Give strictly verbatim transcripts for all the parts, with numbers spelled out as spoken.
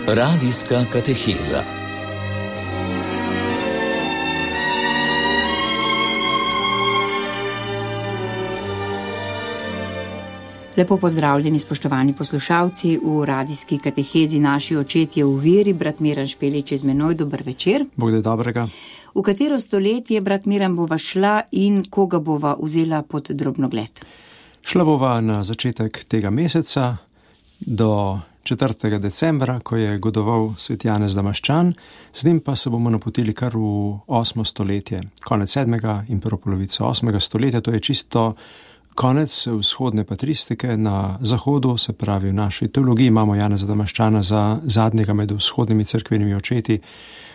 Radijska kateheza. Lepo pozdravljeni, spoštovani poslušalci, v radijski katehezi Naši očetje v veri. Brat Miran Špelič je z menoj, dober večer. Bog da dobrega. V katero stoletje, brat Miran, bova šla in koga bova vzela pod drobnogled? Šla bova na začetek tega meseca do četrtega decembra, ko je godoval svet Janez Damaščan, z njim pa se bomo napotili kar v osmo stoletje, konec sedmega in prvo polovico osmega stoletja. To je čisto konec vzhodne patristike na zahodu, se pravi v naši teologiji imamo Janeza Damaščana za zadnjega med vzhodnimi cerkvenimi očeti,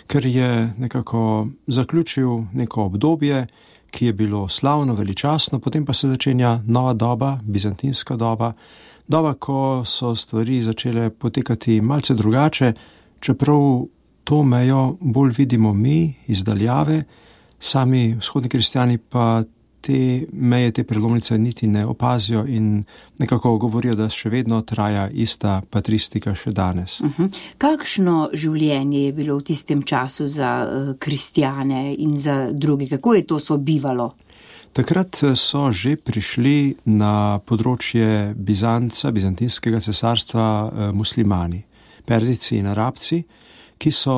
ker je nekako zaključil neko obdobje, ki je bilo slavno, veličastno, potem pa se začenja nova doba, bizantinska doba, doba, ko so stvari začele potekati malce drugače, čeprav to mejo bolj vidimo mi iz daljave, sami vzhodni kristjani pa te meje, te prelomnice niti ne opazijo in nekako govorijo, da še vedno traja ista patristika še danes. Uh-huh. Kakšno življenje je bilo v tistem času za uh, kristjane in za druge? Kako je to sobivalo? Takrat so že prišli na področje Bizanca, bizantinskega cesarstva, uh, muslimani, Perzijci in Arabci, ki so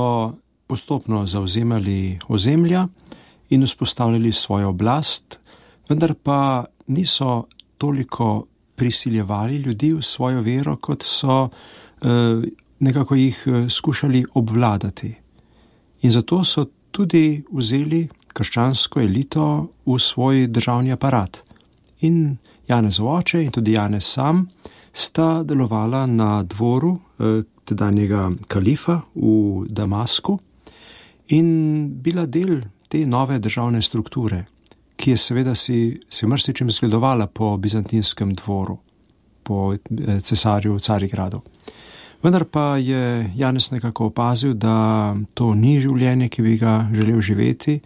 postopno zavzemali ozemlja in vzpostavljali svojo oblast, vendar pa niso toliko prisiljevali ljudi v svojo vero, kot so eh, nekako jih skušali obvladati. In zato so tudi vzeli krščansko elito v svoj državni aparat. In Janezov oče in tudi Janez sam sta delovala na dvoru eh, tedanjega kalifa v Damasku in bila del te nove državne strukture, ki je seveda si, si marsičem zgledovala po bizantinskem dvoru, po cesarju Carigradu. Vendar pa je Janez nekako opazil, da to ni življenje, ki bi ga želel živeti,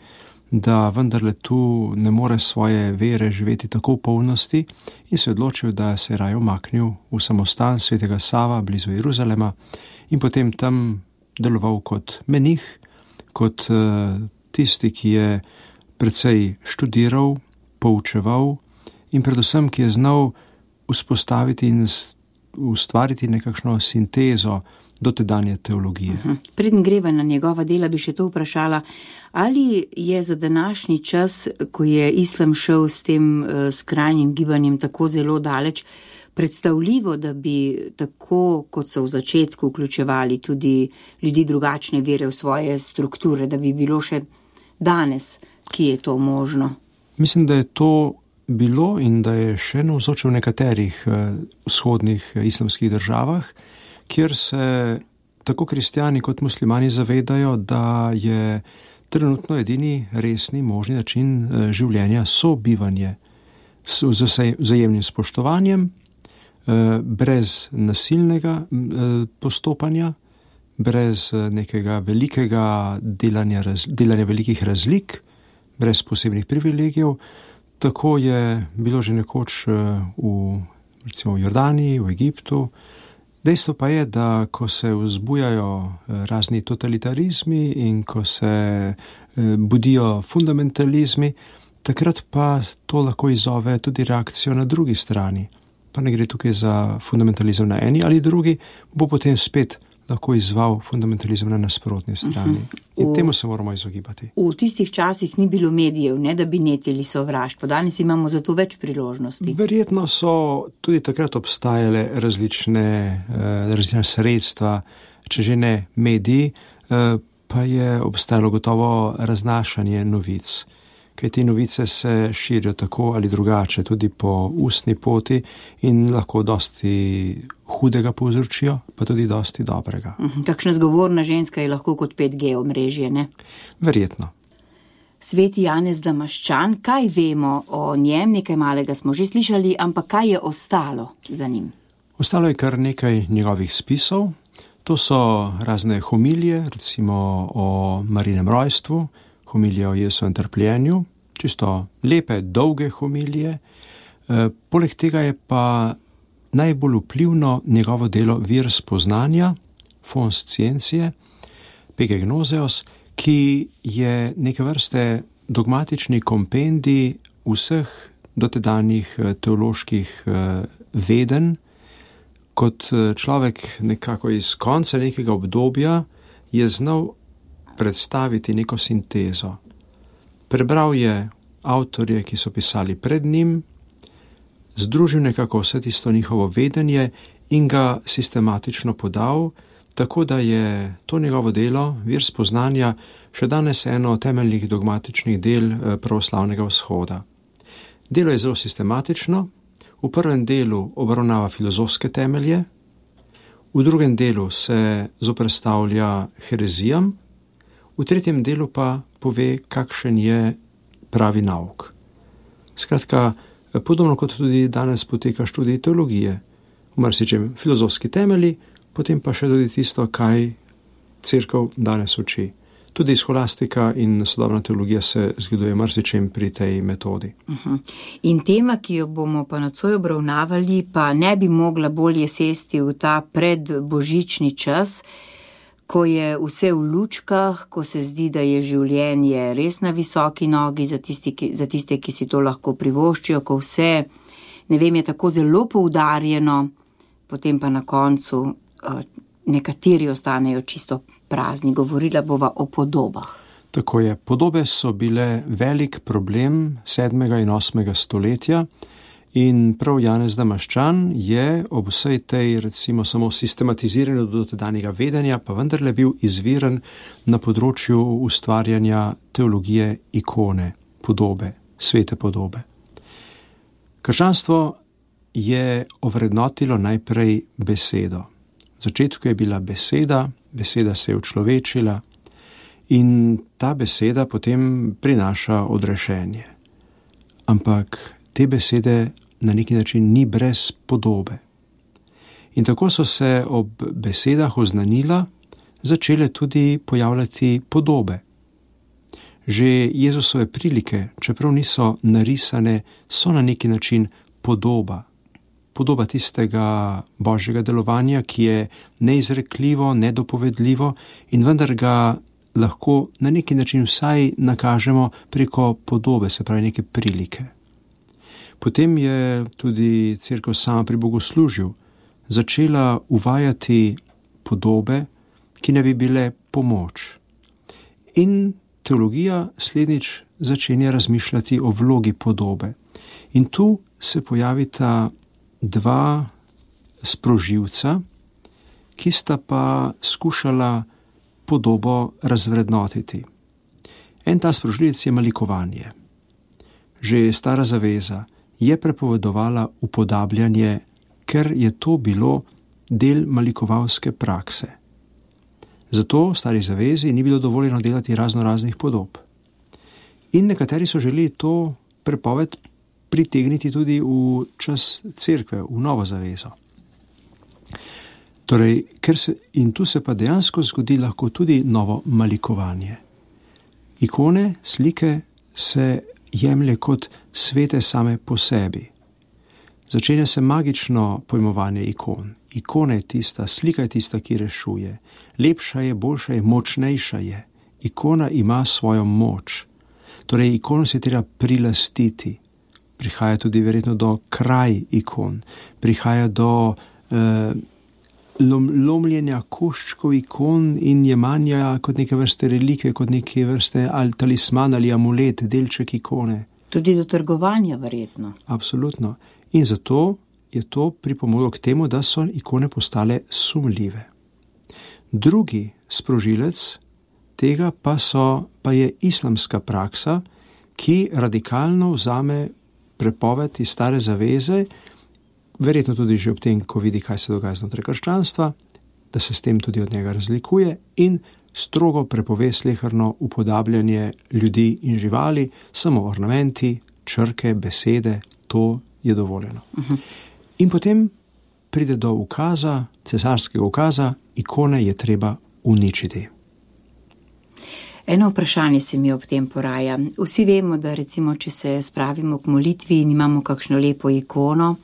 da vendarle tu ne more svoje vere živeti tako v polnosti in se odločil, da se je raje umaknil v samostan svetega Sava blizu Jeruzalema in potem tam deloval kot menih, kot uh, tisti, ki je precej študiral, poučeval in predvsem, ki je znal vzpostaviti in ustvariti nekakšno sintezo dotedanje teologije. Uh-huh. Preden greva na njegova dela, bi še to vprašala, ali je za današnji čas, ko je islam šel s tem uh, skrajnim gibanjem tako zelo daleč, predstavljivo, da bi tako, kot so v začetku vključevali tudi ljudi drugačne vere v svoje strukture, da bi bilo še danes, ki je to možno? Mislim, da je to bilo in da je še navzoče v nekaterih eh, vzhodnih eh, islamskih državah, kjer se tako kristjani kot muslimani zavedajo, da je trenutno edini resni možni način eh, življenja sobivanje s vzajemnim spoštovanjem, eh, brez nasilnega eh, postopanja, brez eh, nekega velikega delanja, raz, delanja velikih razlik, brez posebnih privilegijev. Tako je bilo že nekoč v, recimo v Jordaniji, v Egiptu. Dejstvo pa je, da ko se vzbujajo razni totalitarizmi in ko se budijo fundamentalizmi, takrat pa to lahko izzove tudi reakcijo na drugi strani. Pa ne gre tukaj za fundamentalizem na eni ali drugi, bo potem spet lahko izval fundamentalizem na nasprotni strani. In v, temu se moramo izogibati. V tistih časih ni bilo medijev, ne, da bi netili sovraštvo. Danes imamo za to več priložnosti. Verjetno so tudi takrat obstajale različne, različne sredstva, če že ne mediji, pa je obstajalo gotovo raznašanje novic. Kaj te novice se širijo tako ali drugače, tudi po ustni poti in lahko dosti hudega povzročijo, pa tudi dosti dobrega. Takšna zgovorna ženska je lahko kot pet G omrežje, ne? Verjetno. Sveti Janez Damaščan, kaj vemo o njem? Nekaj malega smo že slišali, ampak kaj je ostalo za njim? Ostalo je kar nekaj njegovih spisov. To so razne homilije, recimo o Marijinem rojstvu, homilije o Jezusovem trpljenju, čisto lepe, dolge homilije. E, poleg tega je pa najbolj vplivno njegovo delo Vir spoznanja Fons Scientiae, Pegegnoseos, ki je neke vrste dogmatični kompendij vseh dotedanjih teoloških vedenj. Kot človek nekako iz konca nekega obdobja je znal predstaviti neko sintezo. Prebral je avtorje, ki so pisali pred njim, združil nekako vse tisto njihovo vedenje in ga sistematično podal, tako da je to njegovo delo, vir spoznanja, še danes eno temeljnih dogmatičnih del pravoslavnega vzhoda. Delo je zelo sistematično, v prvem delu obravnava filozofske temelje, v drugem delu se zoperstavlja herezijam, v tretjem delu pa pove, kakšen je pravi nauk. Skratka, podobno kot tudi danes poteka študij teologije, v marsičem filozofski temelji, potem pa še tudi tisto, kaj cerkev danes uči. Tudi scholastika in sodobna teologija se zgleduje marsičem pri tej metodi. Uh-huh. In tema, ki jo bomo pa nocoj obravnavali, pa ne bi mogla bolje sesti v ta predbožični čas, ko je vse v lučkah, ko se zdi, da je življenje res na visoki nogi za, tisti, ki, za tiste, ki si to lahko privoščijo, ko vse, ne vem, je tako zelo poudarjeno, potem pa na koncu uh, nekateri ostanejo čisto prazni. Govorila bova o podobah. Tako je. Podobe so bile velik problem sedmega in osmega stoletja in prav Janez Damaščan je ob vsej tej, recimo, samo sistematiziranju dotedanjega vedenja, pa vendarle bil izviren na področju ustvarjanja teologije ikone, podobe, svete podobe. Krščanstvo je ovrednotilo najprej besedo. V začetku je bila beseda, beseda se je učlovečila in ta beseda potem prinaša odrešenje. Ampak te besede na neki način ni brez podobe. In tako so se ob besedah oznanila začele tudi pojavljati podobe. Že Jezusove prilike, čeprav niso narisane, so na neki način podoba. Podoba tistega božjega delovanja, ki je neizrekljivo, nedopovedljivo in vendar ga lahko na neki način vsaj nakažemo preko podobe, se pravi neke prilike. Potem je tudi cerkev sama pri bogoslužju začela uvajati podobe, ki ne bi bile pomoč. In teologija slednjič začenja razmišljati o vlogi podobe. In tu se pojavita dva sprožilca, ki sta pa skušala podobo razvrednotiti. En ta sprožilec je malikovanje. Že stara zaveza je prepovedovala upodabljanje, ker je to bilo del malikovalske prakse. Zato v stari zavezi ni bilo dovoljeno delati razno raznih podob. In nekateri so želeli to prepoved pritegniti tudi v čas cerkve, v novo zavezo. Torej, ker se, in tu se pa dejansko zgodi lahko tudi novo malikovanje. Ikone, slike se jemlje kot svete same po sebi. Začenja se magično pojmovanje ikon. Ikona je tista, slika je tista, ki rešuje. Lepša je, boljša je, močnejša je. Ikona ima svojo moč. Torej, ikono se treba prilastiti. Prihaja tudi verjetno do kraj ikon. Prihaja do eh, lom, lomljenja koščkov ikon in jemanja kot neke vrste relike, kot neke vrste ali talisman ali amulet, delček ikone. Tudi do trgovanja verjetno. Absolutno. In zato je to pripomoglo k temu, da so ikone postale sumljive. Drugi sprožilec tega pa, so, pa je islamska praksa, ki radikalno vzame prepoved iz stare zaveze, verjetno tudi že ob tem, ko vidi, kaj se dogaja znotraj krščanstva, da se s tem tudi od njega razlikuje in strogo prepove sleherno upodabljanje ljudi in živali, samo ornamenti, črke, besede, to je dovoljeno. Uh-huh. In potem pride do ukaza, cesarskega ukaza, ikone je treba uničiti. Eno vprašanje se mi ob tem poraja. Vsi vemo, da recimo, če se spravimo k molitvi in imamo kakšno lepo ikono,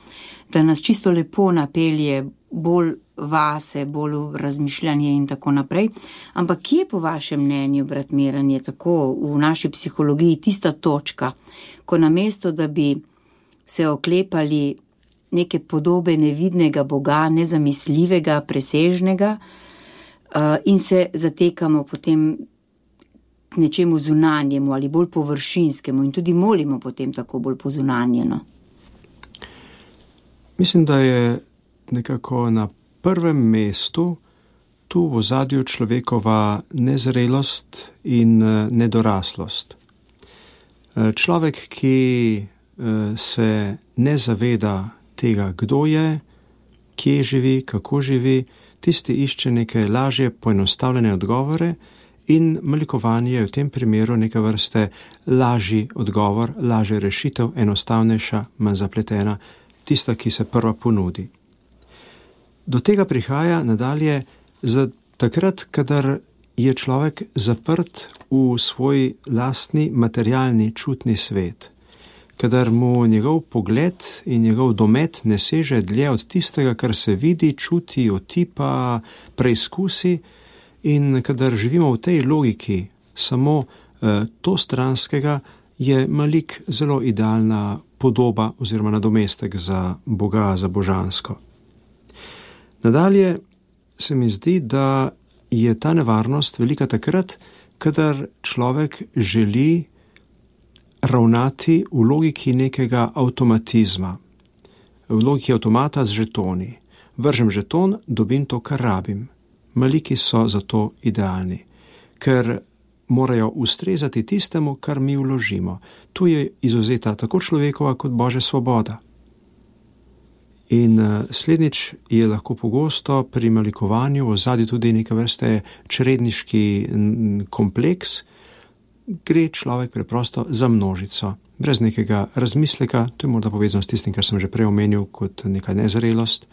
da nas čisto lepo napelje bolj vase, bolj v razmišljanje in tako naprej. Ampak kje po vašem mnenju, brat Miran, je tako v naši psihologiji tista točka, ko namesto, da bi se oklepali neke podobe nevidnega Boga, nezamisljivega, presežnega, in se zatekamo potem k nečemu zunanjemu ali bolj površinskemu in tudi molimo potem tako bolj pozunanjeno. Mislim, da je nekako na prvem mestu tu v ozadju človekova nezrelost in nedoraslost. Človek, ki se ne zaveda tega, kdo je, kje živi, kako živi, tisti išče neke lažje poenostavljene odgovore in malikovanje je v tem primeru neka vrste lažji odgovor, lažja rešitev, enostavnejša, manj zapletena, tista, ki se prva ponudi. Do tega prihaja nadalje za takrat, kadar je človek zaprt v svoj lastni materialni čutni svet, kadar mu njegov pogled in njegov domet ne seže dlje od tistega, kar se vidi, čuti, otipa, preizkusi, in kadar živimo v tej logiki samo eh, to stranskega, je malik zelo idealna podoba oziroma nadomestek za Boga, za božansko. Nadalje se mi zdi, da je ta nevarnost velika takrat, kadar človek želi ravnati v logiki nekega avtomatizma, v logiki avtomata z žetoni. Vržem žeton, dobim to, kar rabim. Maliki so zato idealni, ker morajo ustrezati tistemu, kar mi vložimo. Tu je izvzeta tako človekova kot Božja svoboda. In slednjič je lahko pogosto pri malikovanju v ozadju tudi neke vrste čredniški kompleks, gre človek preprosto za množico, brez nekega razmisleka, to je morda povezano s tistim, kar sem že prej omenil kot neka nezrelost,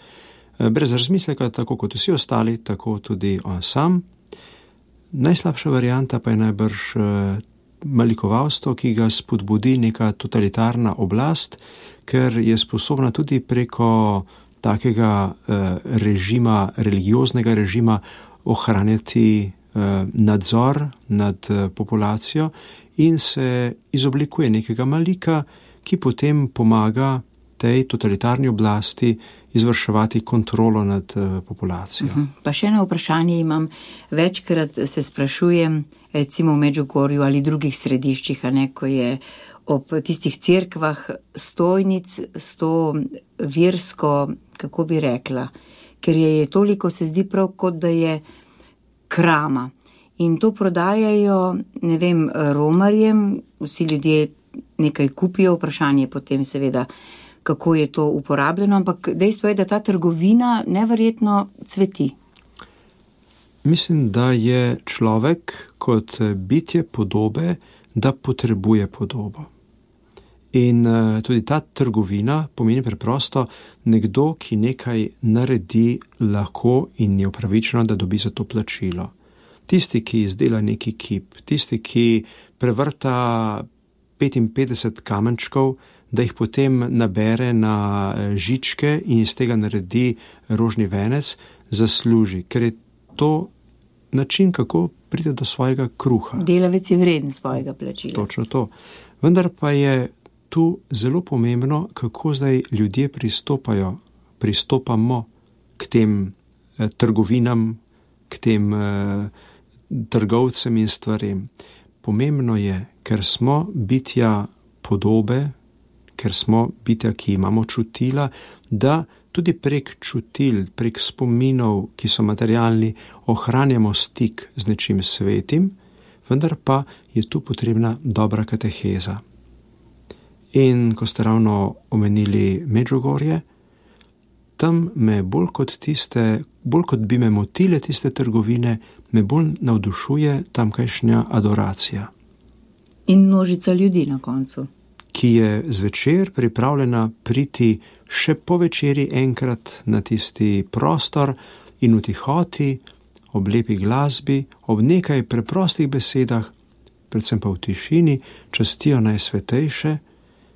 brez razmisleka, tako kot vsi ostali, tako tudi on sam. Najslabša varianta pa je najbrž malikovalstvo, ki ga spodbudi neka totalitarna oblast, ker je sposobna tudi preko takega režima, religioznega režima ohranjati nadzor nad populacijo in se izoblikuje nekega malika, ki potem pomaga tej totalitarni oblasti izvrševati kontrolo nad populacijo. Uh-huh. Pa še eno vprašanje imam. Večkrat se sprašujem, recimo v Medžugorju ali drugih središčih, a ne, ko je ob tistih cerkvah stojnic s to versko, kako bi rekla, ker je toliko, se zdi prav, kot da je krama. In to prodajajo, ne vem, romarjem, vsi ljudje nekaj kupijo, vprašanje potem seveda, kako je to uporabljeno, ampak dejstvo je, da ta trgovina neverjetno cveti. Mislim, da je človek kot bitje podobe, da potrebuje podobo. In tudi ta trgovina pomeni preprosto nekdo, ki nekaj naredi lahko in je upravičeno, da dobi za to plačilo. Tisti, ki izdela neki kip, tisti, ki prevrta petinpetdeset kamenčkov, da jih potem nabere na žičke in iz tega naredi rožni venec, zasluži, ker je to način, kako pride do svojega kruha. Delavec je vreden svojega plačila. Točno to. Vendar pa je tu zelo pomembno, kako zdaj ljudje pristopajo, pristopamo k tem eh, trgovinam, k tem eh, trgovcem in stvarem. Pomembno je, ker smo bitja podobe, ker smo bitja, ki imamo čutila, da tudi prek čutil, prek spominov, ki so materialni, ohranjamo stik z nečim svetim, vendar pa je tu potrebna dobra kateheza. In ko ste ravno omenili Medžugorje, tam me bolj kot tiste, bolj kot bi me motile tiste trgovine, me bolj navdušuje tamkajšnja adoracija. In množica ljudi na koncu. Ki je zvečer pripravljena priti še po večeri enkrat na tisti prostor in v tihoti, ob lepi glasbi, ob nekaj preprostih besedah, predvsem pa v tišini, častijo najsvetejše,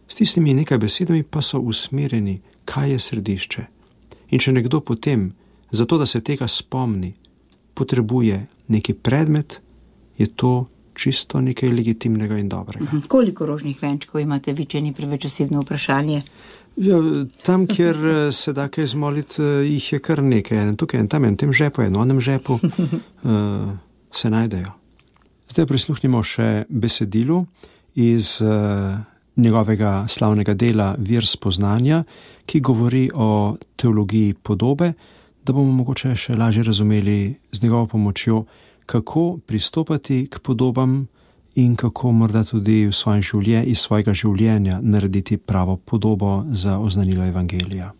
s tistimi nekaj besedami pa so usmerjeni, kaj je središče. In če nekdo potem zato da se tega spomni, potrebuje neki predmet, je to čisto nekaj legitimnega in dobrega. Mhm. Koliko rožnih venčkov imate vi, če ni preveč osebno vprašanje? Ja, tam, kjer se da kaj zmoliti, jih je kar nekaj. En tukaj, en tam, en tem žepu, en onem žepu uh, se najdejo. Zdaj prisluhnimo še besedilu iz uh, njegovega slavnega dela Vir spoznanja, ki govori o teologiji podobe, da bomo mogoče še lažje razumeli z njegovo pomočjo, kako pristopati k podobam in kako morda tudi v svojem življenju, iz svojega življenja narediti pravo podobo za oznanilo evangelija.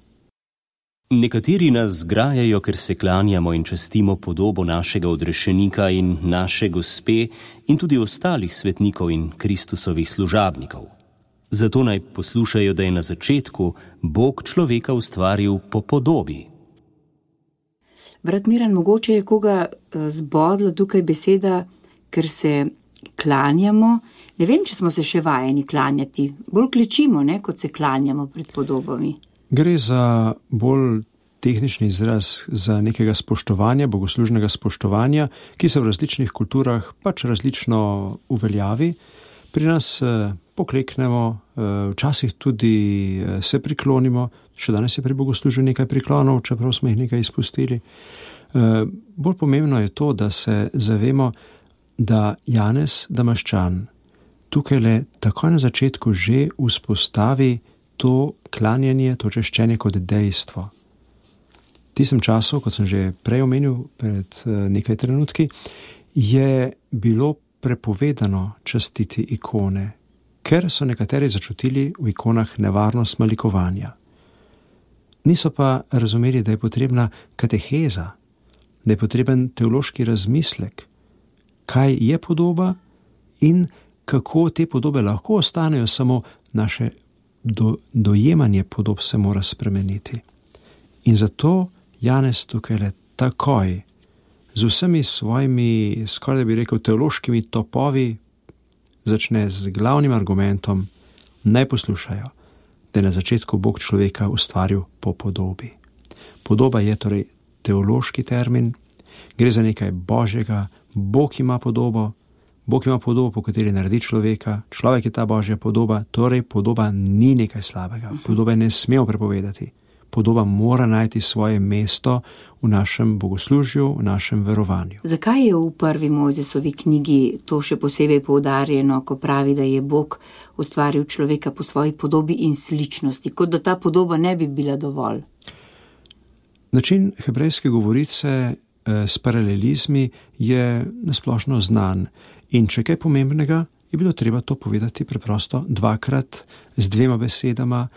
Nekateri nas zgrajajo, ker se klanjamo in častimo podobo našega odrešenika in naše gospe in tudi ostalih svetnikov in Kristusovih služabnikov. Zato naj poslušajo, da je na začetku Bog človeka ustvaril po podobi. Brat Miran, mogoče je koga zbodla tukaj beseda, ker se klanjamo. Ne vem, če smo se še vajeni klanjati. Bolj klečimo, ne, kot se klanjamo pred podobami. Gre za bolj tehnični izraz, za nekega spoštovanja, bogoslužnega spoštovanja, ki se v različnih kulturah pač različno uveljavi. Pri nas eh, pokleknemo, eh, včasih tudi eh, se priklonimo, še danes je pri bogoslužju nekaj priklonov, čeprav smo jih nekaj izpustili. Eh, bolj pomembno je to, da se zavemo, da Janez Damaščan tukaj le takoj na začetku že vzpostavi to klanjanje, to češčenje kot dejstvo. V tistem času, kot sem že prej omenil pred nekaj trenutki, je bilo prepovedano častiti ikone, ker so nekateri začutili v ikonah nevarnost malikovanja. Niso pa razumeli, da je potrebna kateheza, da je potreben teološki razmislek, kaj je podoba in kako te podobe lahko ostanejo, samo naše do, dojemanje podob se mora spremeniti. In zato Janez tukaj le takoj, z vsemi svojimi, skoraj da bi rekel, teološkimi topovi, začne z glavnim argumentom, naj poslušajo, da je na začetku Bog človeka ustvaril po podobi. Podoba je torej teološki termin, gre za nekaj božjega, Bog ima podobo, Bog ima podobo, po kateri naredi človeka, človek je ta božja podoba, torej podoba ni nekaj slabega, podobe ne smemo prepovedati. Podoba mora najti svoje mesto v našem bogoslužju, v našem verovanju. Zakaj je v prvi Mojzesovi knjigi to še posebej poudarjeno, ko pravi, da je Bog ustvaril človeka po svoji podobi in sličnosti, kot da ta podoba ne bi bila dovolj? Način hebrejske govorice eh, s paralelizmi je nasplošno znan in če kaj pomembnega, je bilo treba to povedati preprosto dvakrat z dvema besedama,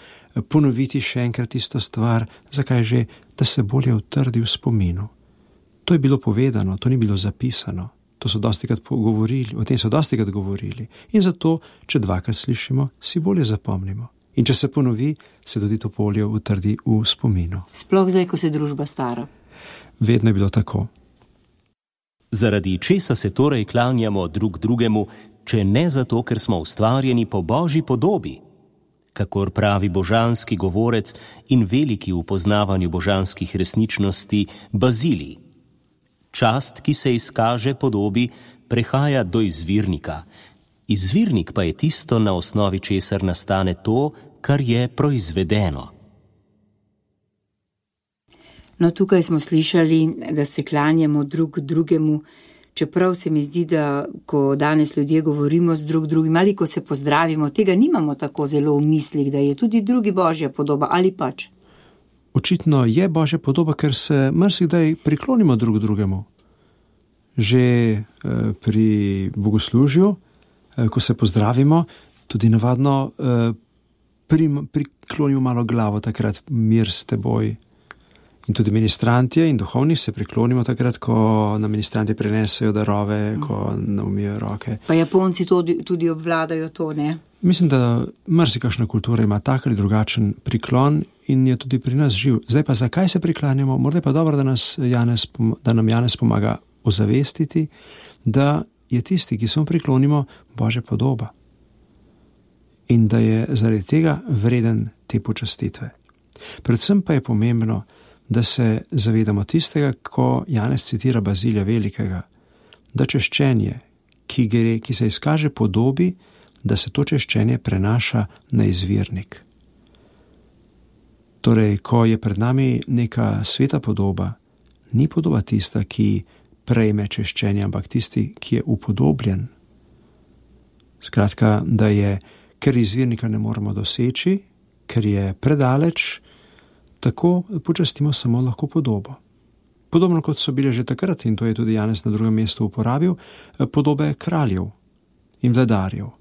ponoviti še enkrat isto stvar, zakaj že, da se bolje utrdi v spominu. To je bilo povedano, to ni bilo zapisano, to so dostikrat govorili, o tem so dostikrat govorili in zato, če dvakrat slišimo, si bolje zapomnimo. In če se ponovi, se tudi to bolje utrdi v spominu. Sploh zdaj, ko se družba stara. Vedno je bilo tako. Zaradi česa se torej klanjamo drug drugemu, če ne zato, ker smo ustvarjeni po Božji podobi? Kakor pravi božanski govorec in veliki v poznavanju božanskih resničnosti Bazilij. Čast, ki se izkaže podobi, prehaja do izvirnika. Izvirnik pa je tisto, na osnovi česar nastane to, kar je proizvedeno. No, tukaj smo slišali, da se klanjamo drug drugemu, čeprav se mi zdi, da ko danes ljudje govorimo z drug drugim ali ko se pozdravimo, tega nimamo tako zelo v mislih, da je tudi drugi božja podoba, ali pač? Očitno je božja podoba, ker se marsikdaj priklonimo drug drugemu. Že eh, pri bogoslužju, eh, ko se pozdravimo, tudi navadno eh, pri, priklonimo malo glavo, takrat mir s teboj. In tudi ministrantje in duhovni se priklonimo takrat, ko na ministranti prenesejo darove, ko naumijo roke. Pa Japonci tudi, tudi obvladajo to, ne? Mislim, da marsikašna kultura ima tak ali drugačen priklon in je tudi pri nas živ. Zdaj pa zakaj se priklanjamo? Morda je pa dobro, da, nas Janez, da nam Janez pomaga ozavestiti, da je tisti, ki se mu priklonimo, Božja podoba. In da je zaradi tega vreden te počastitve. Predvsem pa je pomembno, da se zavedamo tistega, ko Janez citira Bazilija Velikega, da češčenje, ki, gre, ki se izkaže podobi, da se to češčenje prenaša na izvirnik. Torej, ko je pred nami neka sveta podoba, ni podoba tista, ki prejme češčenje, ampak tisti, ki je upodobljen. Skratka, da je, ker izvirnika ne moremo doseči, ker je predaleč, tako počastimo samo lahko podobo. Podobno kot so bile že takrat, in to je tudi Janez na drugem mestu uporabil, podobe kraljev in vladarjev.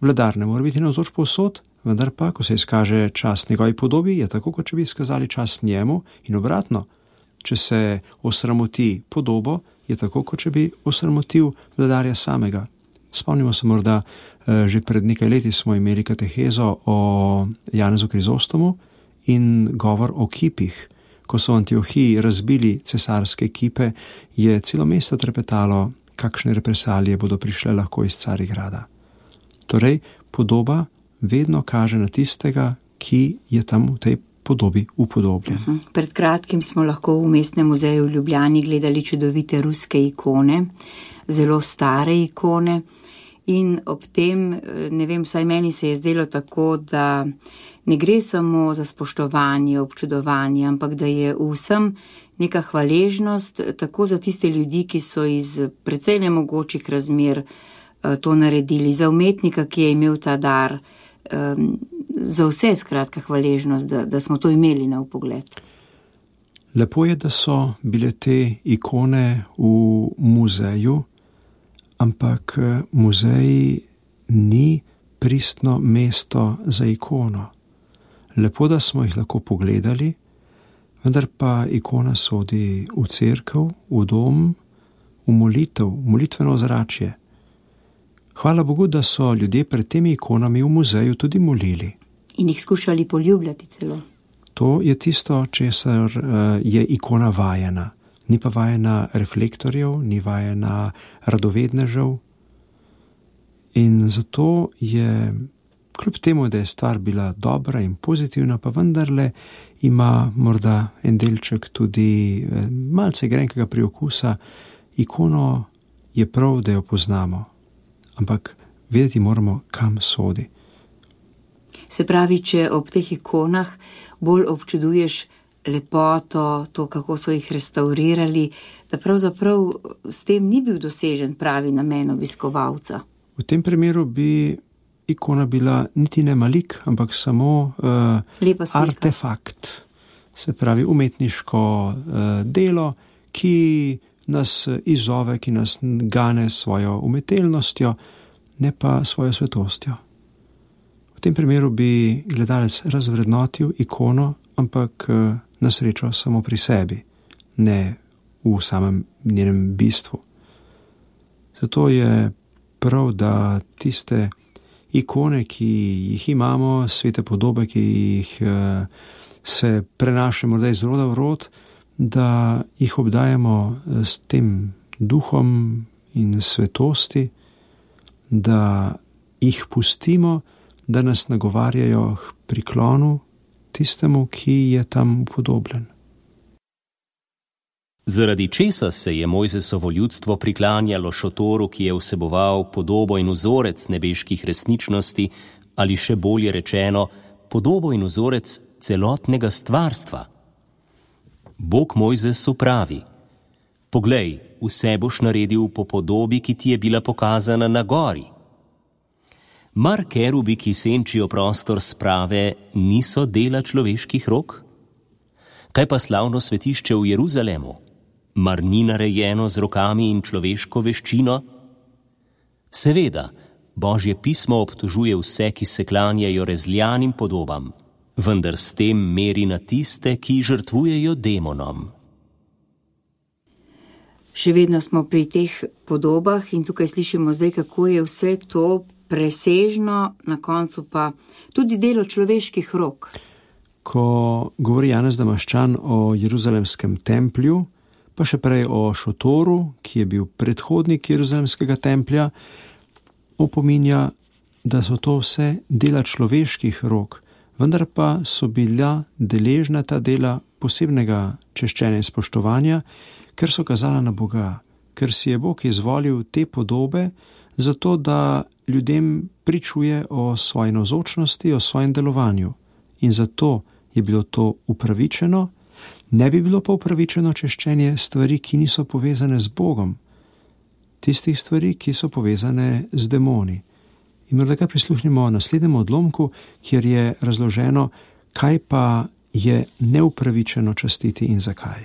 Vladar ne mora biti navzoč povsod, vendar pa, ko se izkaže čast njegovi podobi, je tako, kot če bi izkazali čast njemu, in obratno, če se osramoti podobo, je tako, kot če bi osramotil vladarja samega. Spomnimo se morda, že pred nekaj leti smo imeli katehezo o Janezu Krizostomu in govor o kipih. Ko so v Antiohiji razbili cesarske kipe, je celo mesto trepetalo, kakšne represalije bodo prišle lahko iz Carigrada. Torej, podoba vedno kaže na tistega, ki je tam v tej podobi upodobljen. Uh-huh. Pred kratkim smo lahko v Mestnem muzeju v Ljubljani gledali čudovite ruske ikone, zelo stare ikone, in ob tem, ne vem, vsaj meni se je zdelo tako, da ne gre samo za spoštovanje, občudovanje, ampak da je vsem neka hvaležnost tako za tiste ljudi, ki so iz precej nemogočih razmer to naredili, za umetnika, ki je imel ta dar, um, za vse skratka hvaležnost, da, da smo to imeli na vpogled. Lepo je, da so bile te ikone v muzeju, ampak muzej ni pristno mesto za ikono. Lepo, da smo jih lahko pogledali, vendar pa ikona sodi v cerkev, v dom, v molitev, molitveno ozračje. Hvala Bogu, da so ljudje pred temi ikonami v muzeju tudi molili. In jih skušali poljubljati celo. To je tisto, česar je ikona vajena. Ni pa vajena reflektorjev, ni vajena radovednežev. In zato je, kljub temu, da je stvar bila dobra in pozitivna, pa vendarle ima morda en delček tudi malce grenkega priokusa, ikono je prav, da jo poznamo. Ampak vedeti moramo, kam sodi. Se pravi, če ob teh ikonah bolj občuduješ lepoto, to, kako so jih restaurirali, da pravzaprav s tem ni bil dosežen pravi namen obiskovalca. V tem primeru bi ikona bila niti ne malik, ampak samo uh, artefakt. Se pravi, umetniško uh, delo, ki nas izzove, ki nas gane svojo umetelnostjo, ne pa svojo svetostjo. V tem primeru bi gledalec razvrednotil ikono, ampak na srečo samo pri sebi, ne v samem njenem bistvu. Zato je prav, da tiste ikone, ki jih imamo, svete podobe, ki jih se prenaša morda iz roda v rod, da jih obdajamo s tem duhom in svetosti, da jih pustimo, da nas nagovarjajo k priklonu tistemu, ki je tam upodobljen. Zaradi česa se je Mojzesovo ljudstvo priklanjalo šotoru, ki je vseboval podobo in vzorec nebeških resničnosti, ali še bolje rečeno, podobo in vzorec celotnega stvarstva? Bog Mojzesu pravi: poglej, vse boš naredil po podobi, ki ti je bila pokazana na gori. Mar kerubi, ki senčijo prostor sprave, niso dela človeških rok? Kaj pa slavno svetišče v Jeruzalemu? Mar ni narejeno z rokami in človeško veščino? Seveda, Božje pismo obtožuje vse, ki se klanjajo rezljanim podobam, vendar s tem meri na tiste, ki žrtvujejo demonom. Še vedno smo pri teh podobah in tukaj slišimo zdaj, kako je vse to presežno, na koncu pa tudi delo človeških rok. Ko govori Janez Damaščan o Jeruzalemskem templju, pa še prej o šotoru, ki je bil predhodnik Jeruzalemskega templja, opominja, da so to vse dela človeških rok, vendar pa so bila deležna ta dela posebnega češčenja in spoštovanja, ker so kazala na Boga, ker si je Bog izvolil te podobe, zato da ljudem pričuje o svoji navzočnosti, o svojem delovanju. In zato je bilo to upravičeno, ne bi bilo pa upravičeno češčenje stvari, ki niso povezane z Bogom, tistih stvari, ki so povezane z demoni. In morda kar prisluhnimo naslednjemu odlomku, kjer je razloženo, kaj pa je neupravičeno častiti in zakaj.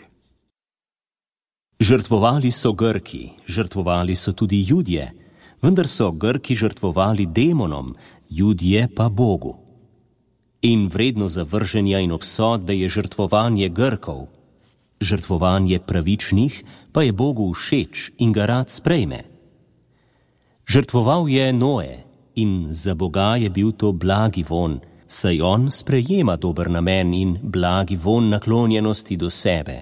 Žrtvovali so Grki, žrtvovali so tudi Judje, vendar so Grki žrtvovali demonom, Judje pa Bogu. In vredno zavrženja in obsodbe je žrtvovanje Grkov. Žrtvovanje pravičnih pa je Bogu všeč in ga rad sprejme. Žrtvoval je Noe in za Boga je bil to blagi von, saj on sprejema dober namen in blagi von naklonjenosti do sebe.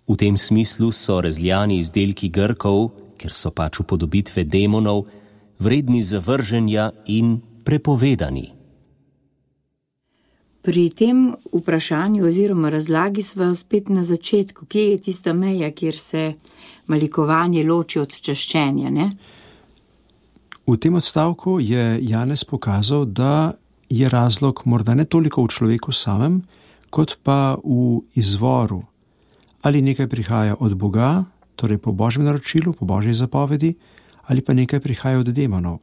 V tem smislu so razljani izdelki Grkov, ker so pač upodobitve demonov, vredni zavrženja in prepovedani. Pri tem vprašanju oziroma razlagi sva spet na začetku, kje je tista meja, kjer se malikovanje loči od čaščenja, ne? V tem odstavku je Janez pokazal, da je razlog morda ne toliko v človeku samem, kot pa v izvoru. Ali nekaj prihaja od Boga, torej po Božjem naročilu, po Božji zapovedi, ali pa nekaj prihaja od demonov,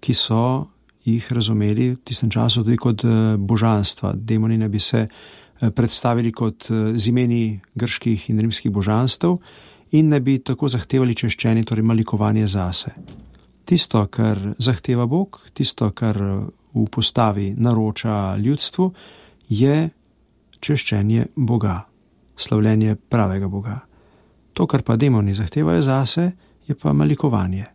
ki so jih razumeli v tistem času tudi kot božanstva. Demoni ne bi se predstavili kot z imeni grških in rimskih božanstev in ne bi tako zahtevali češčenje, torej malikovanje zase. Tisto, kar zahteva Bog, tisto, kar v postavi naroča ljudstvu, je češčenje Boga, slavljenje pravega Boga. To, kar pa demoni zahtevajo zase, je pa malikovanje.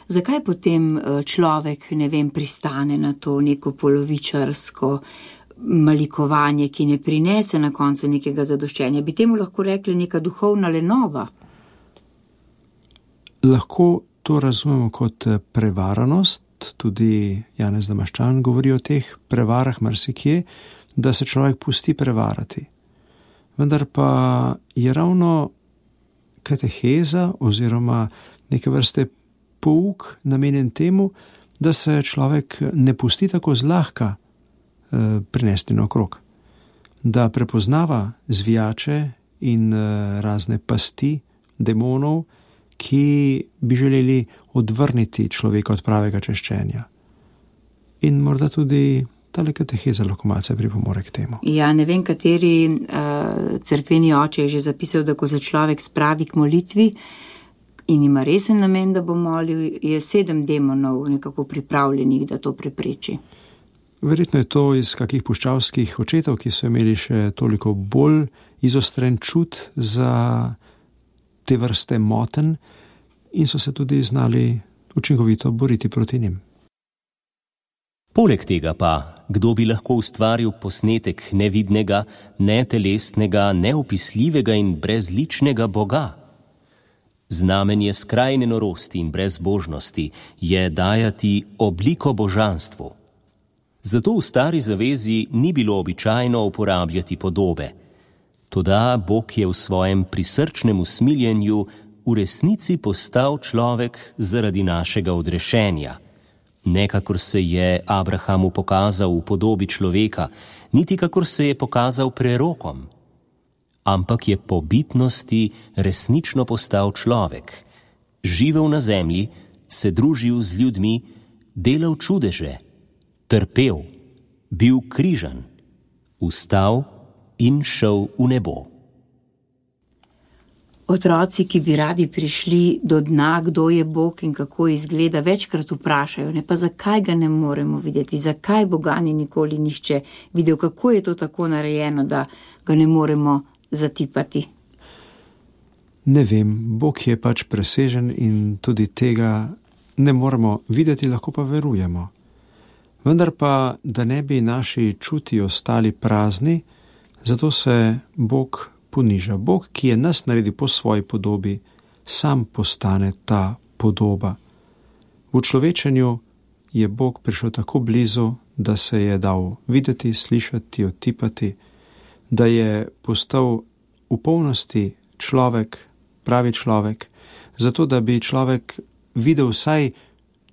Zakaj potem človek, ne vem, pristane na to neko polovičarsko malikovanje, ki ne prinese na koncu nekega zadoščenja? Bi temu lahko rekli neka duhovna lenova? Lahko to razumemo kot prevaranost, tudi Janez Damaščan govori o teh prevarah marsikje, da se človek pusti prevarati. Vendar pa je ravno kateheza oziroma neke vrste pouk namenjen temu, da se človek ne pusti tako zlahka eh, prinesti naokrog, da prepoznava zvijače in eh, razne pasti demonov, ki bi želeli odvrniti človeka od pravega češčenja. In morda tudi tale kateheza lahko malce pripomore k temu. Ja, ne vem, kateri uh, cerkveni oče je že zapisal, da ko se človek spravi k molitvi in ima resen namen, da bo molil, je sedem demonov nekako pripravljenih, da to prepreči. Verjetno je to iz kakih puščavskih očetov, ki so imeli še toliko bolj izostren čut za te vrste moten in so se tudi znali učinkovito boriti proti njim. Poleg tega pa, kdo bi lahko ustvaril posnetek nevidnega, netelesnega, neopisljivega in brezličnega Boga? Znamenje skrajne norosti in brezbožnosti je dajati obliko božanstvu. Zato v stari zavezi ni bilo običajno uporabljati podobe. Toda Bog je v svojem prisrčnem usmiljenju v resnici postal človek zaradi našega odrešenja. Ne kakor se je Abrahamu pokazal v podobi človeka, niti kakor se je pokazal prerokom, ampak je po bitnosti resnično postal človek, živel na zemlji, se družil z ljudmi, delal čudeže, trpel, bil križan, vstal in šel v nebo. Otroci, ki bi radi prišli do dna, kdo je Bog in kako izgleda, večkrat vprašajo, ne pa zakaj ga ne moremo videti, zakaj Boga ni nikoli nihče videl, kako je to tako narejeno, da ga ne moremo zatipati. Ne vem, Bog je pač presežen in tudi tega ne moremo videti, lahko pa verujemo. Vendar pa, da ne bi naši čuti ostali prazni, zato se Bog poniža. Bog, ki je nas naredil po svoji podobi, sam postane ta podoba. V človečenju je Bog prišel tako blizu, da se je dal videti, slišati, otipati, da je postal v polnosti človek, pravi človek, zato da bi človek videl vsaj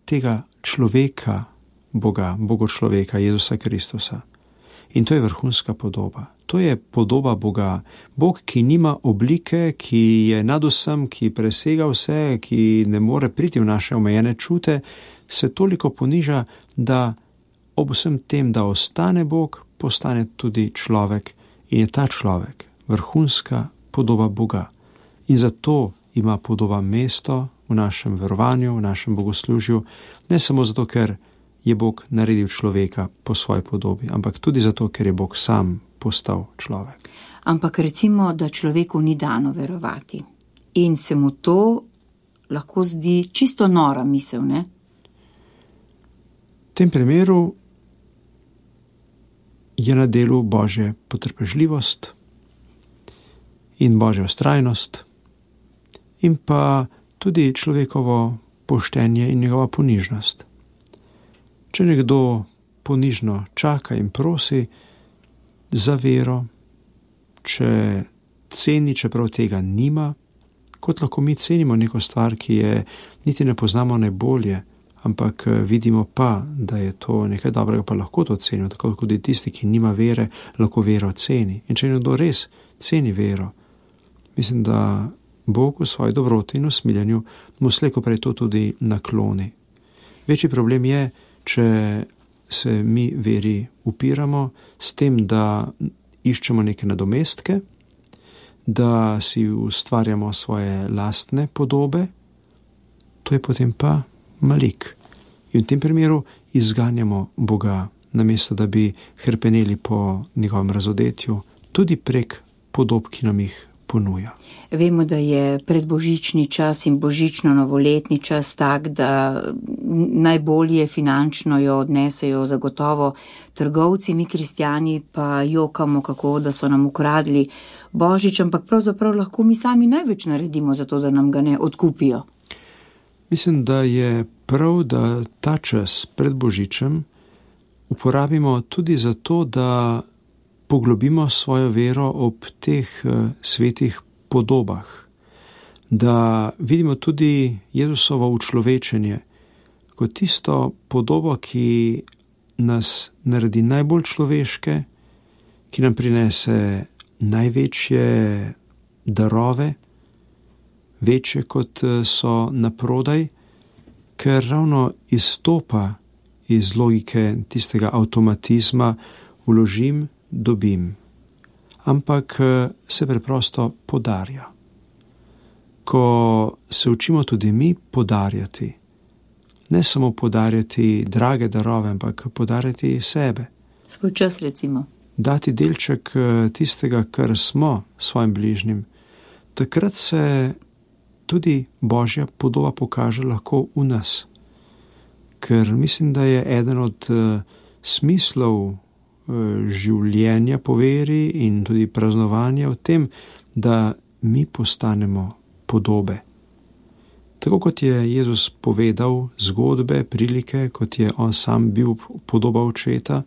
tega človeka Boga, Bogočloveka, Jezusa Kristusa. In to je vrhunska podoba. To je podoba Boga. Bog, ki nima oblike, ki je nad vsem, ki presega vse, ki ne more priti v naše omejene čute, se toliko poniža, da ob vsem tem, da ostane Bog, postane tudi človek in je ta človek vrhunska podoba Boga. In zato ima podoba mesto v našem verovanju, v našem bogoslužju, ne samo zato, ker je Bog naredil človeka po svoji podobi, ampak tudi zato, ker je Bog sam postal človek. Ampak recimo, da človeku ni dano verovati in se mu to lahko zdi čisto nora misel, ne? V tem primeru je na delu Božja potrpežljivost in Božja vztrajnost in pa tudi človekovo poštenje in njegova ponižnost. Če nekdo ponižno čaka in prosi za vero, če ceni, čeprav tega nima, kot lahko mi cenimo neko stvar, ki je niti ne poznamo najbolje, ampak vidimo pa, da je to nekaj dobrega, pa lahko to cenimo, tako kot tudi tisti, ki nima vere, lahko vero ceni. In če nekdo res ceni vero, mislim, da Bog v svoji dobroti in usmiljenju mu slejko prej to tudi nakloni. Večji problem je, če se mi veri upiramo s tem, da iščemo neke nadomestke, da si ustvarjamo svoje lastne podobe, to je potem pa malik. In v tem primeru izganjamo Boga, namesto da bi hrpeneli po njegovem razodetju, tudi prek podob, ki nam jih ponuja. Vemo, da je predbožični čas in božično-novoletni čas tak, da najbolje finančno jo odnesejo zagotovo trgovci, mi kristjani pa jokamo, kako da so nam ukradli Božič, ampak pravzaprav lahko mi sami največ naredimo za to, da nam ga ne odkupijo. Mislim, da je prav, da ta čas pred Božičem uporabimo tudi za to, da poglobimo svojo vero ob teh uh, svetih podobah, da vidimo tudi Jezusovo učlovečenje kot tisto podobo, ki nas naredi najbolj človeške, ki nam prinese največje darove, večje kot so naprodaj, ker ravno izstopa iz logike tistega avtomatizma vložim, dobim, ampak se preprosto podarja. Ko se učimo tudi mi podarjati, ne samo podarjati drage darove, ampak podarjati sebe. Svoj čas recimo. Dati delček tistega, kar smo svojim bližnjim. Takrat se tudi Božja podoba pokaže lahko v nas. Ker mislim, da je eden od uh, smislov življenja po veri in tudi praznovanja v tem, da mi postanemo podobe. Tako kot je Jezus povedal zgodbe, prilike, kot je on sam bil podoba očeta,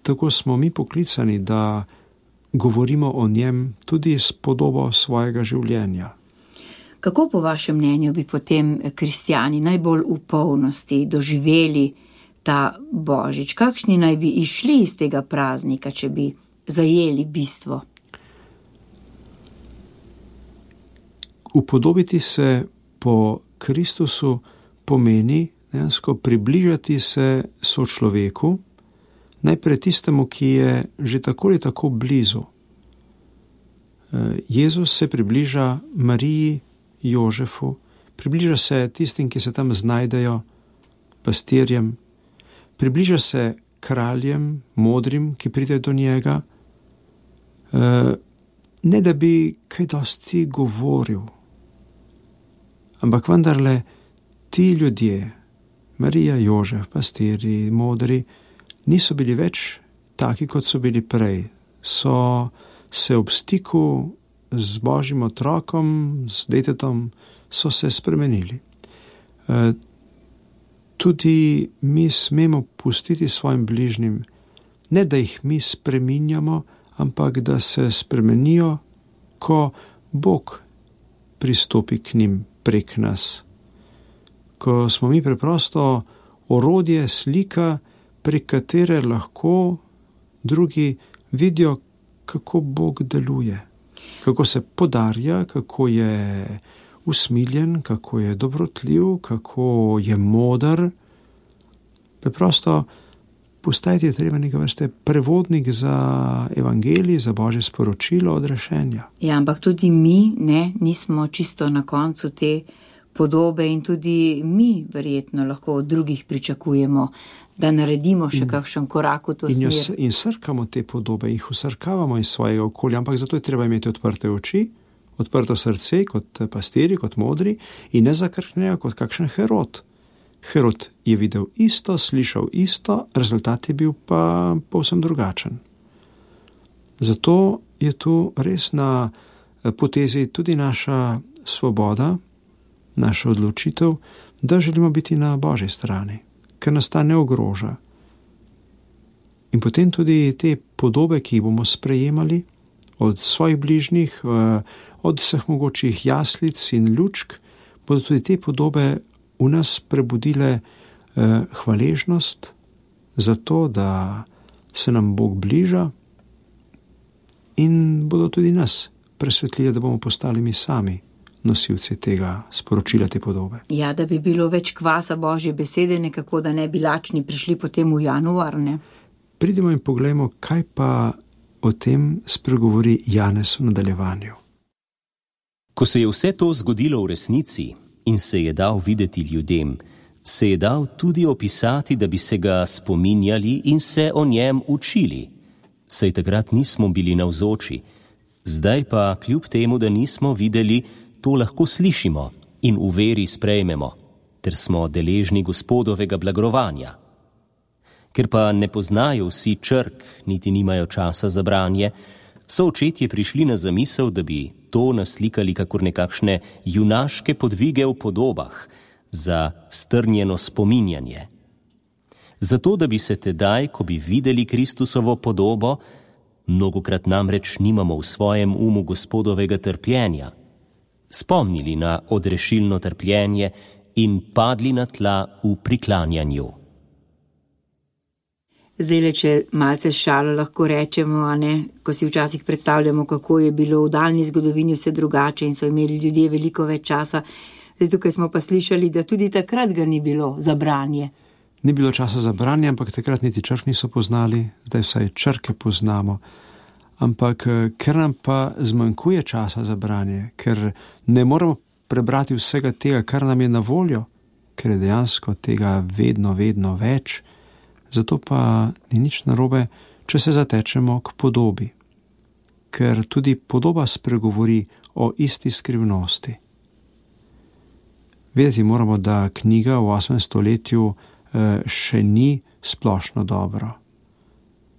tako smo mi poklicani, da govorimo o njem tudi s podobo svojega življenja. Kako po vašem mnenju bi potem kristjani najbolj v polnosti doživeli ta Božič? Kakšni naj bi išli iz tega praznika, če bi zajeli bistvo? Upodobiti se po Kristusu pomeni dejansko približati se sočloveku, najprej tistemu, ki je že tako ali tako blizu. Jezus se približa Mariji, Jožefu, približa se tistim, ki se tam znajdejo, pastirjem, približa se kraljem, modrim, ki pridejo do njega, ne da bi kaj dosti govoril, ampak vendarle ti ljudje, Marija, Jožef, pastirji, modri, niso bili več taki, kot so bili prej. So se ob stiku z Božjim otrokom, z detetom, so se spremenili. Tudi mi smemo pustiti svojim bližnjim, ne da jih mi spreminjamo, ampak da se spremenijo, ko Bog pristopi k njim prek nas. Ko smo mi preprosto orodje, slika, prek katere lahko drugi vidijo, kako Bog deluje, kako se podarja, kako je usmiljen, kako je dobrotljiv, kako je moder. Preprosto postajati je treba neka vrste prevodnik za evangelij, za Božje sporočilo odrešenja. Ja, ampak tudi mi ne, nismo čisto na koncu te podobe in tudi mi verjetno lahko od drugih pričakujemo, da naredimo še in, kakšen korak v to in smer. Jo, in srkamo te podobe, jih usrkavamo iz svojega okolja, ampak zato je treba imeti odprte oči, odprto srce kot pastiri, kot modri in ne zakrknejo kot kakšen Herod. Herod je videl isto, slišal isto, rezultat je bil pa povsem drugačen. Zato je tu res na potezi tudi naša svoboda, naša odločitev, da želimo biti na Božji strani, ker nas ta ne ogroža. In potem tudi te podobe, ki jih bomo sprejemali od svojih bližnjih, od vseh mogočih jaslic in lučk, bodo tudi te podobe v nas prebudile hvaležnost za to, da se nam Bog bliža in bodo tudi nas presvetlili, da bomo postali mi sami nosilci tega sporočila, te podobe. Ja, da bi bilo več kvasa Božje besede, nekako, da ne bi lačni prišli potem v januar, ne? Pridimo in poglejmo, kaj pa o tem spregovori Janez v nadaljevanju. Ko se je vse to zgodilo v resnici in se je dal videti ljudem, se je dal tudi opisati, da bi se ga spominjali in se o njem učili. Saj takrat nismo bili navzoči, zdaj pa kljub temu, da nismo videli, to lahko slišimo in v veri sprejmemo, ter smo deležni Gospodovega blagrovanja. Ker pa ne poznajo vsi črk, niti nimajo časa za branje, so očetje prišli na zamisel, da bi to naslikali kakor nekakšne junaške podvige v podobah za strnjeno spominjanje. Zato, da bi se tedaj, ko bi videli Kristusovo podobo, mnogokrat namreč nimamo v svojem umu Gospodovega trpljenja, spomnili na odrešilno trpljenje in padli na tla v priklanjanju. Zdaj le, če malce šalo lahko rečemo, a ne, ko si včasih predstavljamo, kako je bilo v daljni zgodovini vse drugače in so imeli ljudje veliko več časa. Zdaj tukaj smo pa slišali, da tudi takrat ga ni bilo za branje. Ni bilo časa za branje, ampak takrat niti črk niso poznali, zdaj vsaj črke poznamo. Ampak ker nam pa zmanjkuje časa za branje, ker ne moremo prebrati vsega tega, kar nam je na voljo, ker je dejansko tega vedno, vedno več, zato pa ni nič narobe, če se zatečemo k podobi, ker tudi podoba spregovori o isti skrivnosti. Vedeti moramo, da knjiga v osmem stoletju še ni splošno dobro.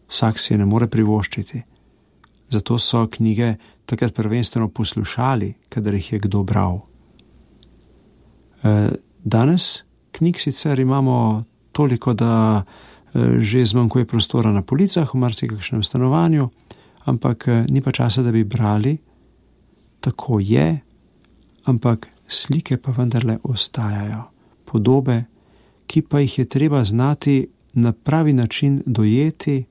Vsak si je ne more privoščiti. Zato so knjige takrat prvenstveno poslušali, kadar jih je kdo bral. Danes knjig sicer imamo toliko, da že zmanjkuje prostora na policah v marsikakšnem stanovanju, ampak ni pa časa, da bi brali. Tako je, ampak slike pa vendarle ostajajo. Podobe, ki pa jih je treba znati na pravi način dojeti,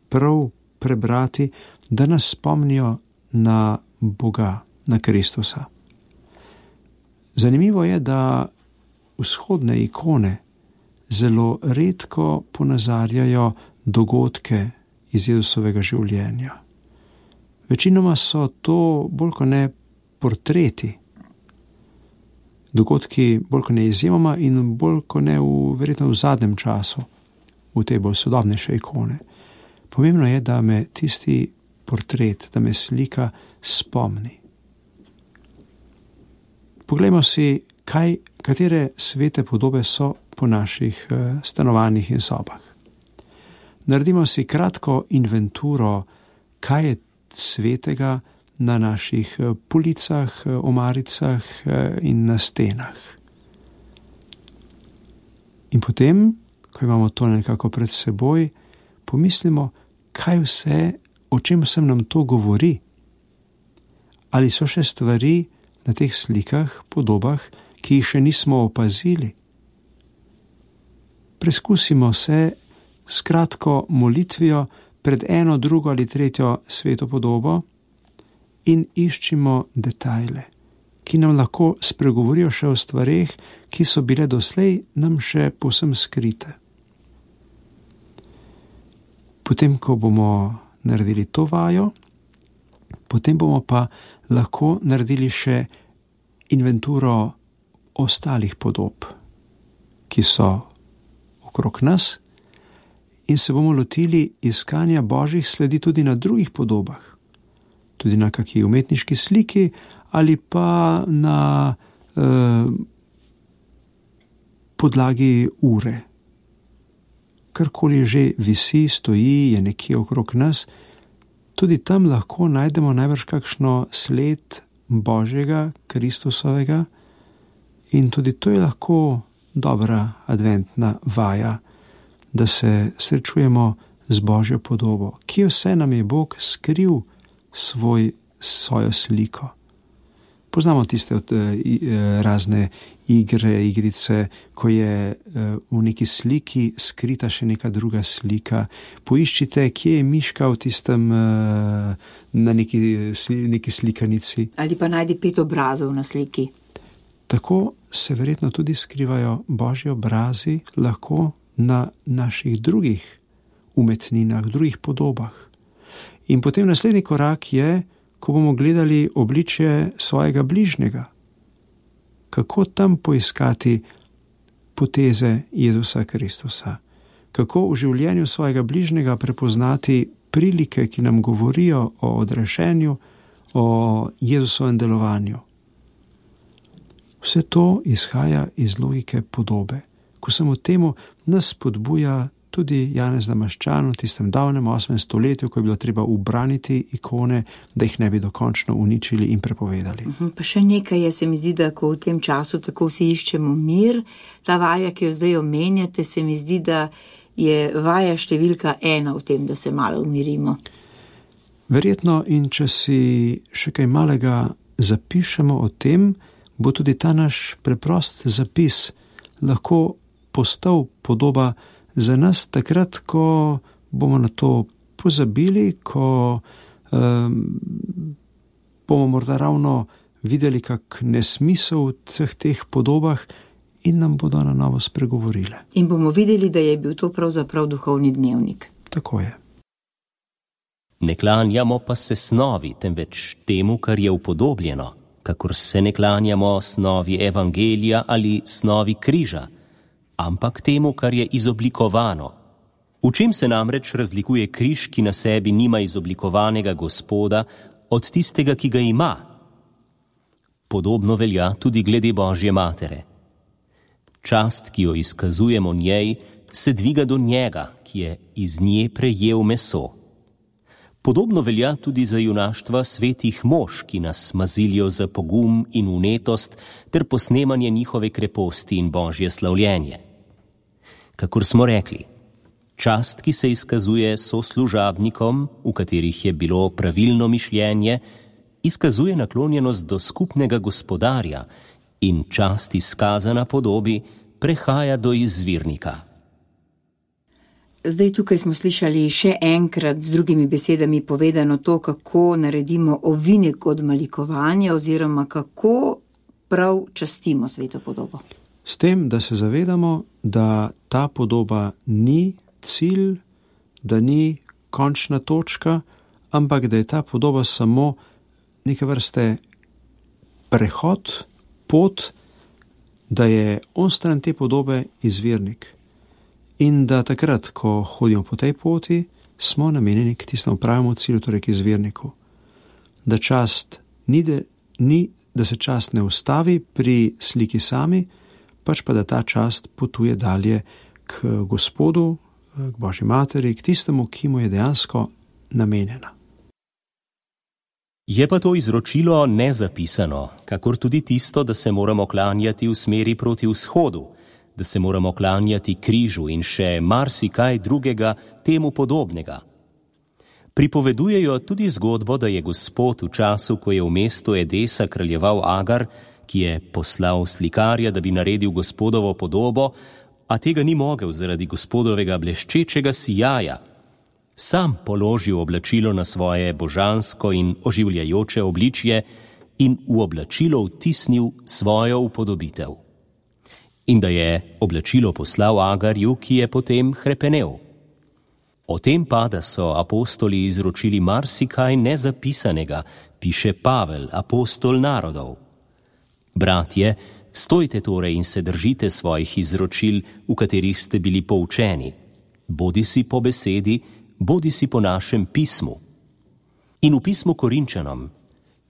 prav prebrati, da nas spomnijo na Boga, na Kristusa. Zanimivo je, da vzhodne ikone zelo redko ponazarjajo dogodke iz Jezusovega življenja. Večinoma so to bolj kot ne portreti, dogodki bolj kot ne izjemoma in bolj kot ne v, verjetno v zadnjem času, v te bolj sodobnejše ikone. Pomembno je, da me tisti portret, da me slika spomni. Poglejmo si, kaj, katere svete podobe so po naših stanovanjih in sobah. Naredimo si kratko inventuro, kaj je svetega na naših policah, omaricah in na stenah. In potem, ko imamo to nekako pred seboj, pomislimo, kaj vse o čem sem nam to govori? Ali so še stvari na teh slikah, podobah, ki jih še nismo opazili? Preskusimo se s kratko molitvijo pred eno, drugo ali tretjo sveto podobo in iščimo detajle, ki nam lahko spregovorijo še o stvareh, ki so bile doslej nam še povsem skrite. Potem, ko bomo naredili to vajo, potem bomo pa lahko naredili še inventuro ostalih podob, ki so okrog nas, in se bomo lotili iskanja božjih sledi tudi na drugih podobah, tudi na kakšni umetniški sliki ali pa na eh, podlagi ure. Karkoli že visi, stoji, je nekje okrog nas, tudi tam lahko najdemo najbrž kakšno sled Božjega, Kristusovega, in tudi to je lahko dobra adventna vaja, da se srečujemo z Božjo podobo. Kje vse nam je Bog skril svoj, svojo sliko? Poznamo tiste od, eh, razne igre, igrice, ko je eh, v neki sliki skrita še neka druga slika. Poiščite, kje je miška v tistem, eh, na neki, neki slikanici. Ali pa najdi pet obrazov na sliki. Tako se verjetno tudi skrivajo Božji obrazi lahko na naših drugih umetninah, drugih podobah. In potem naslednji korak je, ko bomo gledali obličje svojega bližnjega. Kako tam poiskati poteze Jezusa Kristusa? Kako v življenju svojega bližnjega prepoznati prilike, ki nam govorijo o odrešenju, o Jezusovem delovanju? Vse to izhaja iz logike podobe. Ko samo temu nas spodbuja tudi Janez Damaščan v tistem davnem osmem stoletju, ko je bilo treba ubraniti ikone, da jih ne bi dokončno uničili in prepovedali. Pa še nekaj je, se mi zdi, da ko v tem času tako vsi iščemo mir, ta vaja, ki jo zdaj omenjate, se mi zdi, da je vaja številka ena v tem, da se malo umirimo. Verjetno, in če si še kaj malega zapišemo o tem, bo tudi ta naš preprost zapis lahko postal podoba za nas takrat, ko bomo na to pozabili, ko um, bomo morda ravno videli kak nesmisel v vseh teh podobah in nam bodo na novo spregovorile. In bomo videli, da je bil to pravzaprav duhovni dnevnik. Tako je. Ne klanjamo pa se snovi, temveč temu, kar je upodobljeno, kakor se ne klanjamo snovi evangelija ali snovi križa, ampak temu, kar je izoblikovano. V čem se namreč razlikuje križ, ki na sebi nima izoblikovanega Gospoda, od tistega, ki ga ima? Podobno velja tudi glede Božje matere. Čast, ki jo izkazujemo njej, se dviga do njega, ki je iz nje prejel meso. Podobno velja tudi za junaštva svetih mož, ki nas mazilijo za pogum in vnetost ter posnemanje njihove kreposti in Božje slavljenje. Kakor smo rekli, čast, ki se izkazuje soslužabnikom, v katerih je bilo pravilno mišljenje, izkazuje naklonjenost do skupnega gospodarja in čast izkazana podobi prehaja do izvirnika. Zdaj tukaj smo slišali še enkrat z drugimi besedami povedano to, kako naredimo ovinek od malikovanja oziroma kako prav častimo sveto podobo. S tem, da se zavedamo, da ta podoba ni cilj, da ni končna točka, ampak da je ta podoba samo neke vrste prehod, pot, da je onstran te podobe izvirnik. In da takrat, ko hodimo po tej poti, smo namenjeni k tistemu pravemu cilju, torej k izvirniku. Da čast ni, da, ni, da se čast ne ustavi pri sliki sami, pač pa da ta čast potuje dalje k Gospodu, k Božji materi, k tistemu, ki mu je dejansko namenjena. Je pa to izročilo nezapisano, kakor tudi tisto, da se moramo klanjati v smeri proti vzhodu, da se moramo klanjati križu in še marsikaj drugega temu podobnega. Pripovedujejo tudi zgodbo, da je Gospod v času, ko je v mestu Edesa kraljeval Agar, ki je poslal slikarja, da bi naredil Gospodovo podobo, a tega ni mogel zaradi Gospodovega bleščečega sijaja, sam položil oblačilo na svoje božansko in oživljajoče obličje in v oblačilo vtisnil svojo upodobitev. In da je oblačilo poslal Agarju, ki je potem hrepenel. O tem pa, da so apostoli izročili marsikaj nezapisanega, piše Pavel, apostol narodov. Bratje, stojte torej in se držite svojih izročil, v katerih ste bili poučeni, bodisi po besedi, bodisi po našem pismu. In v pismu Korinčanom: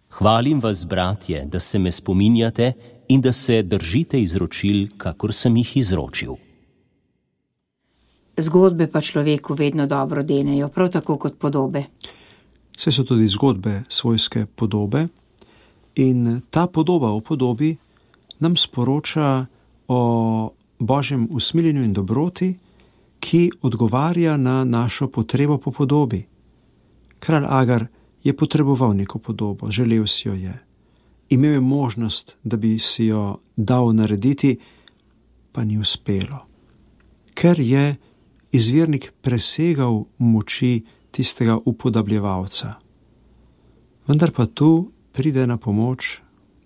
hvalim vas, bratje, da se me spominjate in da se držite izročil, kakor sem jih izročil. Zgodbe pa človeku vedno dobro denejo, prav tako kot podobe. Vse so tudi zgodbe svojske podobe in ta podoba o podobi nam sporoča o Božjem usmiljenju in dobroti, ki odgovarja na našo potrebo po podobi. Kralj Agar je potreboval neko podobo, želel si jo je. Imel je možnost, da bi si jo dal narediti, pa ni uspelo. Ker je izvirnik presegal moči tistega upodabljevalca. Vendar pa tu pride na pomoč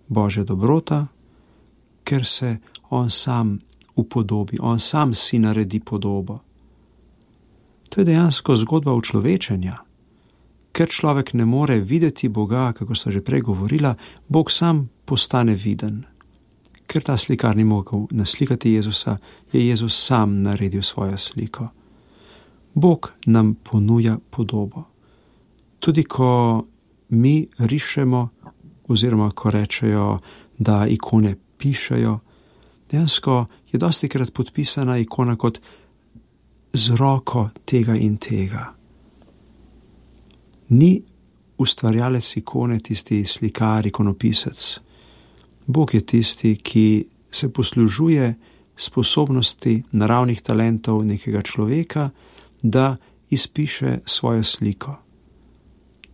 Božja dobrota, ker se on sam upodobi, on sam si naredi podobo. To je dejansko zgodba učlovečenja. Ker človek ne more videti Boga, kako sta že prej govorila, Bog sam postane viden. Ker ta slikar ni mogel naslikati Jezusa, je Jezus sam naredil svojo sliko. Bog nam ponuja podobo. Tudi ko mi rišemo, oziroma ko rečejo, da ikone pišejo, dejansko je dostikrat podpisana ikona kot z roko tega in tega. Ni ustvarjalec ikone tisti slikar, ikonopisec. Bog je tisti, ki se poslužuje sposobnosti, naravnih talentov nekega človeka, da izpiše svojo sliko.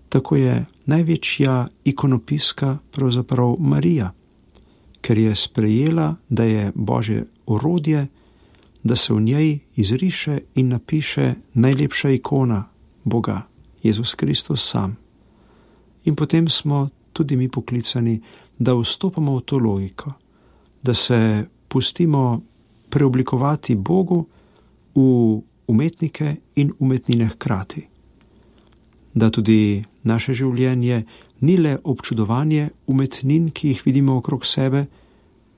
Tako je največja ikonopiska pravzaprav Marija, ker je sprejela, da je Božje orodje, da se v njej izriše in napiše najlepša ikona Boga, Jezus Kristus sam. In potem smo tudi mi poklicani, da vstopamo v to logiko, da se pustimo preoblikovati Bogu v umetnike in umetnine hkrati. Da tudi naše življenje ni le občudovanje umetnin, ki jih vidimo okrog sebe,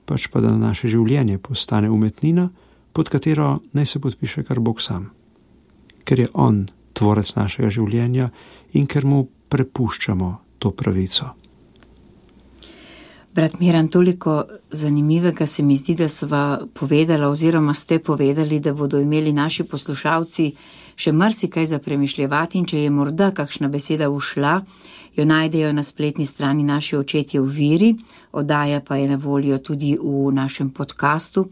pač pa da naše življenje postane umetnina, pod katero naj se podpiše kar Bog sam. Ker je on tvorec našega življenja in ker mu prepuščamo to pravico. Brat Miran, toliko zanimivega se mi zdi, da sva povedala oziroma ste povedali, da bodo imeli naši poslušalci še marsikaj za premišljevati, in če je morda kakšna beseda ušla, jo najdejo na spletni strani Naši očetje v viri, oddaja pa je na voljo tudi v našem podkastu.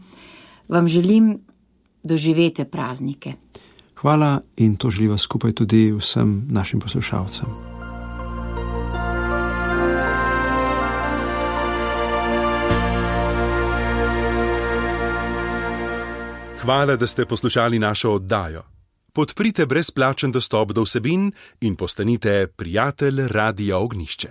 Vam želim, doživete praznike. Hvala in to želiva skupaj tudi vsem našim poslušalcem. Hvala, da ste poslušali našo oddajo. Podprite brezplačen dostop do vsebin in postanite prijatelj Radia Ognjišče.